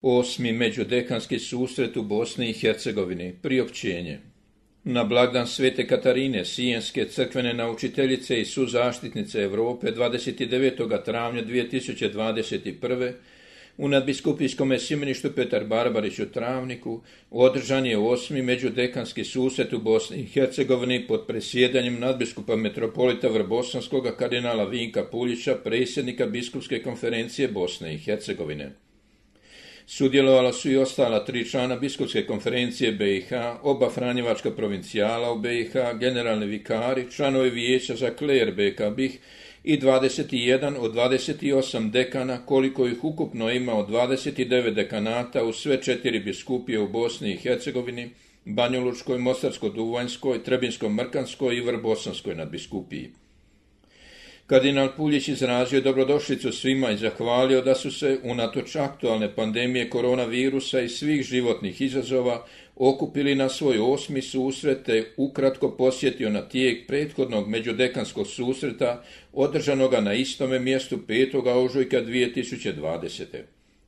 Osmi međudekanski susret u Bosni i Hercegovini. Priopćenje. Na blagdan Svete Katarine, Sijenske crkvene naučiteljice i suzaštitnice Europe 29. travnja 2021. u nadbiskupijskom sjemeništu Petar Barbarić u Travniku održan je osmi međudekanski susret u Bosni i Hercegovini pod presjedanjem nadbiskupa metropolita Vrbosanskog kardinala Vinka Puljića, predsjednika biskupske konferencije Bosne i Hercegovine. Sudjelovala su i ostala 3 člana biskupske konferencije BiH, oba franjevačka provincijala u BiH, generalni vikari, članovi vijeća za kler BiH BiH i 21 od 28 dekana, koliko ih ukupno ima od 29 dekanata u sve 4 biskupije u Bosni i Hercegovini, Banjalučkoj, Mostarsko-Duvanjskoj, Trebinsko-Mrkanskoj i Vrbosanskoj nadbiskupiji. Kardinal Puljić izrazio dobrodošlicu svima i zahvalio da su se, unatoč aktualne pandemije koronavirusa i svih životnih izazova, okupili na svoj osmi susret te ukratko posjetio na tijek prethodnog međudekanskog susreta održanoga na istome mjestu 5. ožujka 2020.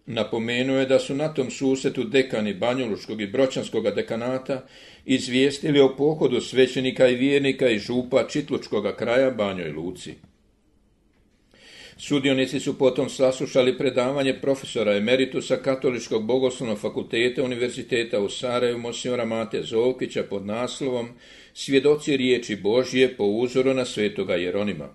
Napomenuo je da su na tom susretu dekani Banjalučkog i Bročanskog dekanata izvijestili o pohodu svećenika i vjernika iz župa Čitlučkog kraja Banjoj Luci. Sudionici su potom saslušali predavanje profesora emeritusa Katoličkog bogoslovnog fakulteta Univerziteta u Sarajevu monsignora Mate Zovkića pod naslovom Svjedoci riječi Božje po uzoru na svetoga Jeronima.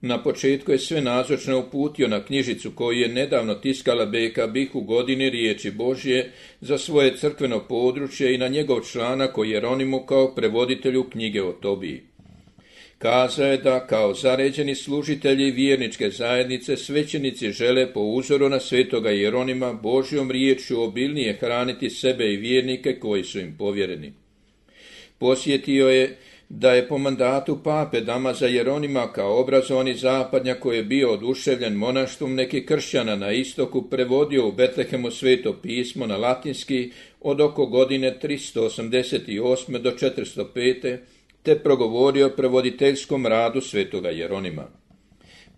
Na početku je sve nazočne uputio na knjižicu koju je nedavno tiskala BiH BiH u godini riječi Božje za svoje crkveno područje i na njegov članak o Jeronimu kao prevoditelju knjige o Tobiji. Kazao je da kao zaređeni služitelji vjerničke zajednice svećenici žele po uzoru na svetoga Jeronima Božjom riječju obilnije hraniti sebe i vjernike koji su im povjereni. Posjetio je da je po mandatu pape Damaza Jeronima kao obrazovani zapadnjak koji je bio oduševljen monaštvom nekih kršćana na istoku prevodio u Betlehemu sveto pismo na latinski od oko godine 388. do 405. te progovorio o prevoditeljskom radu svetoga Jeronima.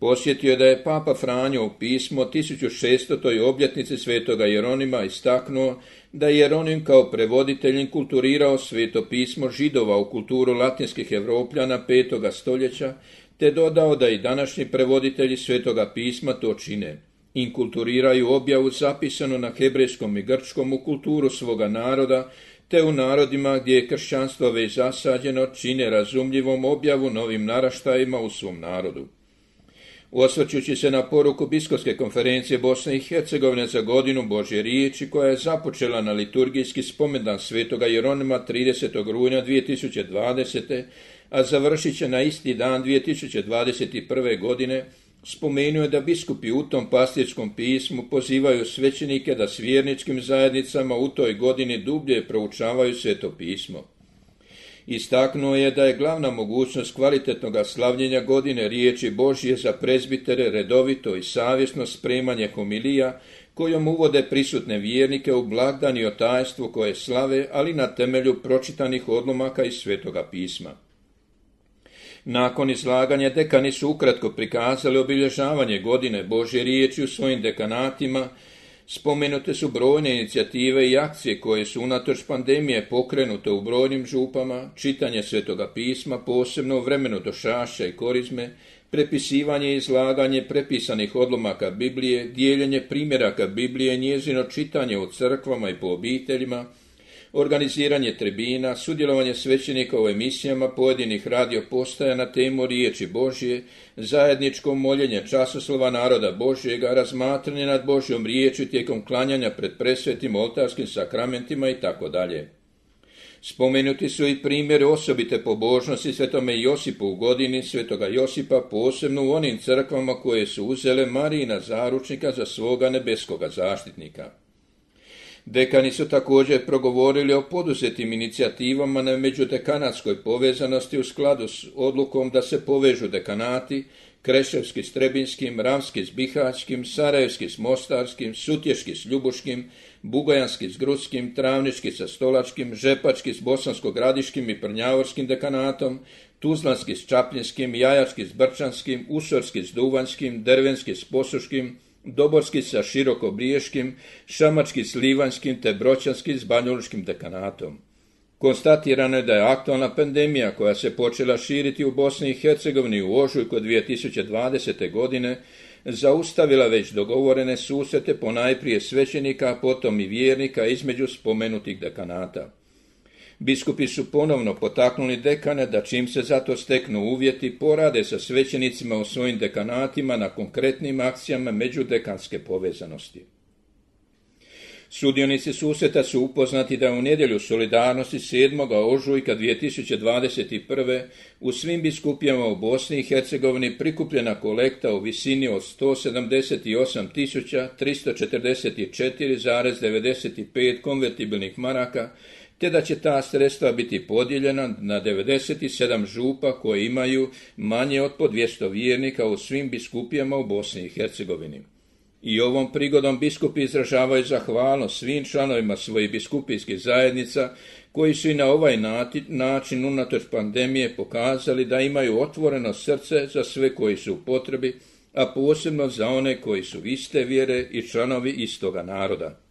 Posjetio je da je papa Franjo u pismo 1600. obljetnici svetoga Jeronima istaknuo da je Jeronim kao prevoditelj inkulturirao sveto pismo Židova u kulturu latinskih Evropljana 5. stoljeća, te dodao da i današnji prevoditelji svetoga pisma to čine. Inkulturiraju objavu zapisanu na hebrejskom i grčkom u kulturu svoga naroda, te u narodima gdje je kršćanstvo već zasađeno čine razumljivom objavu novim naraštajima u svom narodu. Osvrćući se na poruku biskupske konferencije Bosne i Hercegovine za godinu Božje riječi koja je započela na liturgijski spomendan svetoga Jeronima 30. rujna 2020. a završit će na isti dan 2021. godine, spomenuo je da biskupi u tom pastirskom pismu pozivaju svećenike da s vjerničkim zajednicama u toj godini dublje proučavaju sveto pismo. Istaknuo je da je glavna mogućnost kvalitetnog slavljenja godine riječi Božje za prezbitere redovito i savjesno spremanje homilija kojom uvode prisutne vjernike u blagdan i o tajstvu koje slave, ali na temelju pročitanih odlomaka iz svetoga pisma. Nakon izlaganja dekani su ukratko prikazali obilježavanje godine Božje riječi u svojim dekanatima. Spomenute su brojne inicijative i akcije koje su unatoč pandemije pokrenute u brojnim župama, čitanje svetoga pisma, posebno u vremenu došašća i korizme, prepisivanje i izlaganje prepisanih odlomaka Biblije, dijeljenje primjeraka Biblije, njezino čitanje u crkvama i po obiteljima, organiziranje tribina, sudjelovanje svećenika u emisijama pojedinih radio postaja na temu riječi Božje, zajedničko moljenje časoslova naroda Božjega, razmatranje nad Božjom riječju tijekom klanjanja pred presvetim oltarskim sakramentima itd. Spomenuti su i primjeri osobite pobožnosti svetome Josipu u godini svetoga Josipa, posebno u onim crkvama koje su uzele Marijina zaručnika za svoga nebeskoga zaštitnika. Dekani su također progovorili o poduzetim inicijativama na međudekanatskoj povezanosti u skladu s odlukom da se povežu dekanati, Kreševski s Trebinskim, Ravski s Bihaćkim, Sarajevski s Mostarskim, Sutješki s Ljubuškim, Bugojanski s Grudskim, Travnički sa Stolačkim, Žepački s Bosansko-Gradiškim i Prnjavorskim dekanatom, Tuzlanski s Čapljinskim, Jajački s Brčanskim, Usorski s Duvanjskim, Dervenski s Posuškim, Doborski sa Širokobriješkim, Šamački s Livanjskim te Bročanski s banjalučkim dekanatom. Konstatirano je da je aktualna pandemija koja se počela širiti u Bosni i Hercegovini u ožujku 2020. godine zaustavila već dogovorene susrete ponajprije svećenika, a potom i vjernika između spomenutih dekanata. Biskupi su ponovno potaknuli dekane da čim se za to steknu uvjeti porade sa svećenicima u svojim dekanatima na konkretnim akcijama međudekanske povezanosti. Sudionici susreta su upoznati da u nedjelju solidarnosti 7. ožujka 2021. u svim biskupijama u Bosni i Hercegovini prikupljena kolekta u visini od 178.344,95 konvertibilnih maraka, te da će ta sredstva biti podijeljena na 97 župa koje imaju manje od po 200 vjernika u svim biskupijama u Bosni i Hercegovini. I ovom prigodom biskupi izražavaju zahvalnost svim članovima svojih biskupijskih zajednica koji su i na ovaj način unatoč pandemije pokazali da imaju otvoreno srce za sve koji su u potrebi, a posebno za one koji su iste vjere i članovi istoga naroda.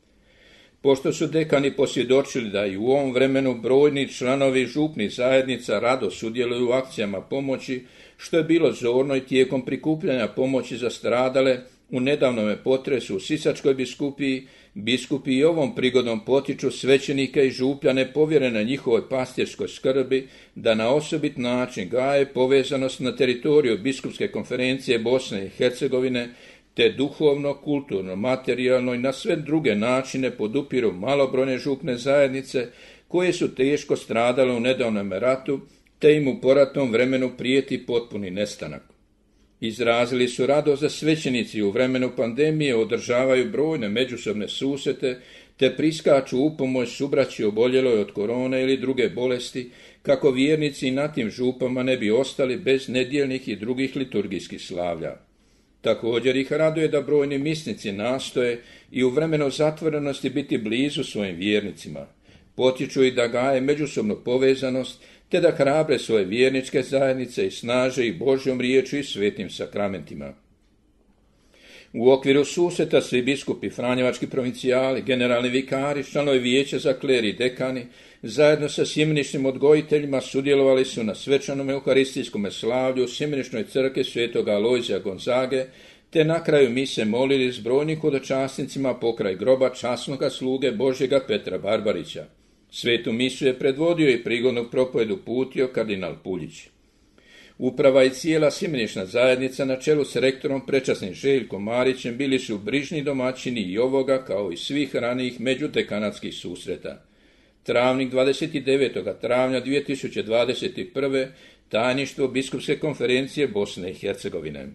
Pošto su dekani posvjedočili da i u ovom vremenu brojni članovi župnih zajednica rado sudjeluju u akcijama pomoći, što je bilo zorno i tijekom prikupljanja pomoći za stradale u nedavnome potresu u Sisačkoj biskupiji, biskupi i ovom prigodom potiču svećenike i župljane povjerene njihovoj pastirskoj skrbi da na osobit način gaje povezanost na teritoriju Biskupske konferencije Bosne i Hercegovine, te duhovno, kulturno, materijalno i na sve druge načine podupiru malobrojne župne zajednice koje su teško stradale u nedavnom ratu, te im u poratnom vremenu prijeti potpuni nestanak. Izrazili su radost da svećenici u vremenu pandemije održavaju brojne međusobne susrete, te priskaču u pomoć subraći oboljeloj od korone ili druge bolesti, kako vjernici na tim župama ne bi ostali bez nedjeljnih i drugih liturgijskih slavlja. Također ih raduje da brojni misnici nastoje i u vremenu zatvorenosti biti blizu svojim vjernicima. Potiču ih da gaje međusobnu povezanost, te da hrabre svoje vjerničke zajednice i snaže ih Božjom riječju i svetim sakramentima. U okviru susreta svi biskupi, franjevački provincijali, generalni vikari, članovi vijeća za kler i dekani, zajedno sa sjemeničnim odgojiteljima sudjelovali su na svečanom euharistijskom slavlju u sjemeničnoj crkvi svetoga Alojzija Gonzage, te na kraju mise molili s brojnim hodočasnicima pokraj groba časnoga sluge Božjega Petra Barbarića. Svetu misu je predvodio i prigodnu propovedu uputio kardinal Puljić. Uprava i cijela sjemenična zajednica na čelu s rektorom prečasnim Željkom Marićem bili su brižni domaćini i ovoga kao i svih ranijih međudekanatskih susreta. Travnik 29. travnja 2021. tajništvo Biskupske konferencije Bosne i Hercegovine.